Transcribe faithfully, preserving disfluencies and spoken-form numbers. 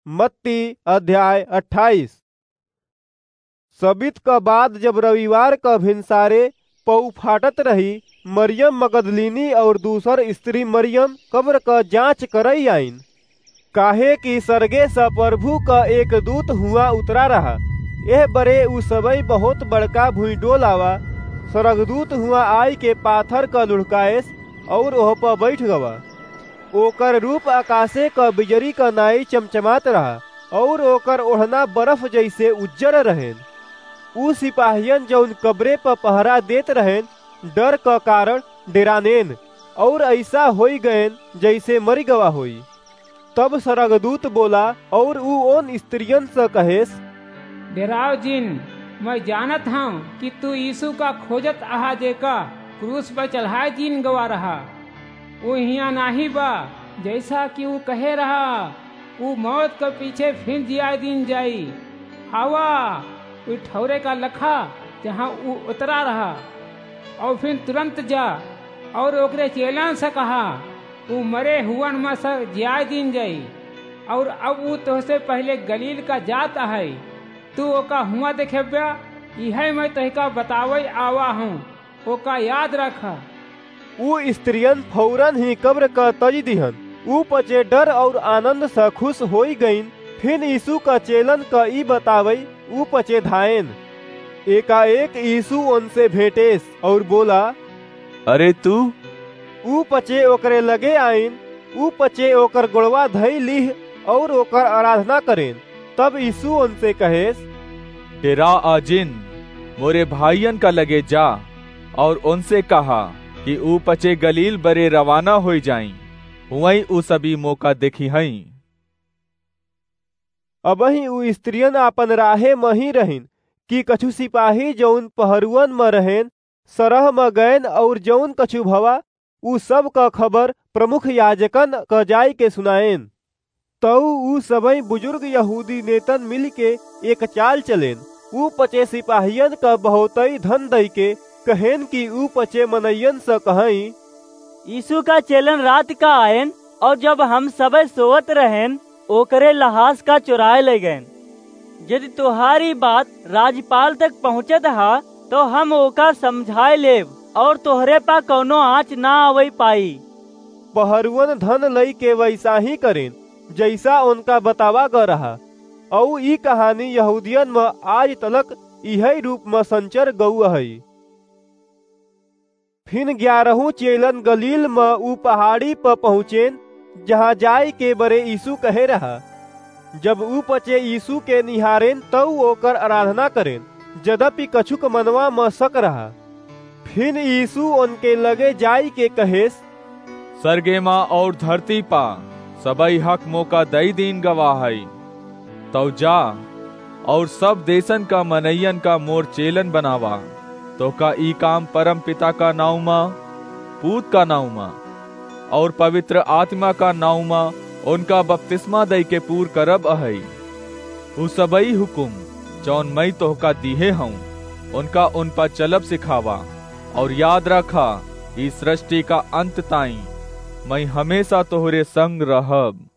मत्ती अध्याय अट्ठाईस। सबित क बाद जब रविवार क भिनसारे पौ फाटत रही, मरियम मगदलीनी और दूसर स्त्री मरियम कब्र क जाँच करइ आइन, काहे कि सरगे स प्रभु क एक दूत हुआँ उतरा रहा। एह बरे उ सबइ बहुत बड़का भुइँडोल आवा, सरगदूत हुआँ आइके पाथर क लुढ़काएस और ओह प बइठ गवा। ओकर रूप अकासे क बिजरी क नाई चमचमात रहा, और ओकर ओढ़ना बरफ जइसे उज्जर रहेन। उ सिपाहियन जउन कब्रे प पहरा देत रहेन, डर क कारण डेरानेन, और अइसा होइ गएन जइसे मरि गवा होइ। तब सरगदूत बोला, और उ ओन स्त्रियन स कहेस, डेराव जिन, मइँ जानत हौं कि तू यीसू का खोजत अहा, जेका क्रूस प चढ़ाए दीन गवा रहा। उ हियाँ नाहीं बा, जइसा कि उ कहे रहा, उ मौत क पीछे फिन जियाए दीन जाई। आवा, उ ठौरे का लखा, जहाँ उ उतरा रहा, और फिन तुरंत जा, और ओकरे चेलन स कहा, उ मरे हुअन म स जियाए दीन जाई, और अब उ तोहसे पहिले गलील का जात अहइ, तू ओका हुआँ देखेब्या, इहइ मइँ तोहका बतावइ आवा हौं, ओका याद रखा। उ स्त्रियन फौरन ही कब्र क तजि दिहन। उ पचे डर और आनंद स खुस होइ गइन। फिन यीसू क चेलन क ई बतावइ उ पचे धाएन। एकाएक यीसू ओनसे भेंटेस और बोला, अरे तू? उ पचे ओकरे लगे आइन, उ पचे ओकर गोड़वा धइ लीह और ओकर आराधना करेन। तब यीसू ओनसे कहेस, डेरा आ जिन, मोरे भाइयन का लगे जा और ओनसे कहा कि उ पचे गलील बरे रवाना होइ जाइँ, हुवइँ उ सबइ मोका देखिहइँ। अबहीं उ स्त्रियन आपन राहे म ही रहिन कि कछु सिपाही जउन पहरुअन म रहेन, सरह म गएन और जउन कछु भवा, उ सब क खबर प्रमुख याजकन क जाइके सुनाएन। तउ उ सबइ बुजुर्ग यहूदी नेतन मिलिके एक चाल चलेन। उ पचे सिपाहियन क बहुतइ धन दइके कहेन कि उ पचे मनइयन स कहइँ, यीसू का चेलन रात का आएन, और जब हम सबइ सोवत रहेन, ओकरे लहास का चोराए लइ गएन। यदि तोहार ई बात राजपाल तक पहुँचत ह, तउ हम ओका समझाए लेब, और तोहरे प कउनो आँच न आवइ पाई। पहरुअन धन लइके वइसा ही करेन, जइसा ओनका बतावा ग रहा। अउ ई कहानी यहूदियन म आज तलक इहइ रूप म संचर गउ अहइ। फिन ग्यारहू चेलन गलील म उ पहाड़ी प पहुँचेन, जहाँ जाइके बरे यीसू कहे रहा। जब उ पचे यीसू के निहारेन, तउ ओकर आराधना करेन, जदपि कछुक मनवा म सक रहा। फिन यीसू ओनके लगे जाइके कहेस, सरगे म और धरती प सबइ हक मोका दइ दीन गवा हइ। तउ जा, और सब देसन का मनइयन का मोर चेलन बनावा। तोहका ई काम परमपिता का नाउँ म, पूत का नाउँ म, और पवित्र आत्मा का नाउँ म ओनका बपतिस्मा दइके पूर करब अहइ। उ सबइ हुकुम, जउन मइँ तोहका दिहे हउँ, ओनका ओन प चलब सिखावा। और याद रखा, ई सृष्टि का अंत ताईं मइँ हमेसा तोहरे संग रहब।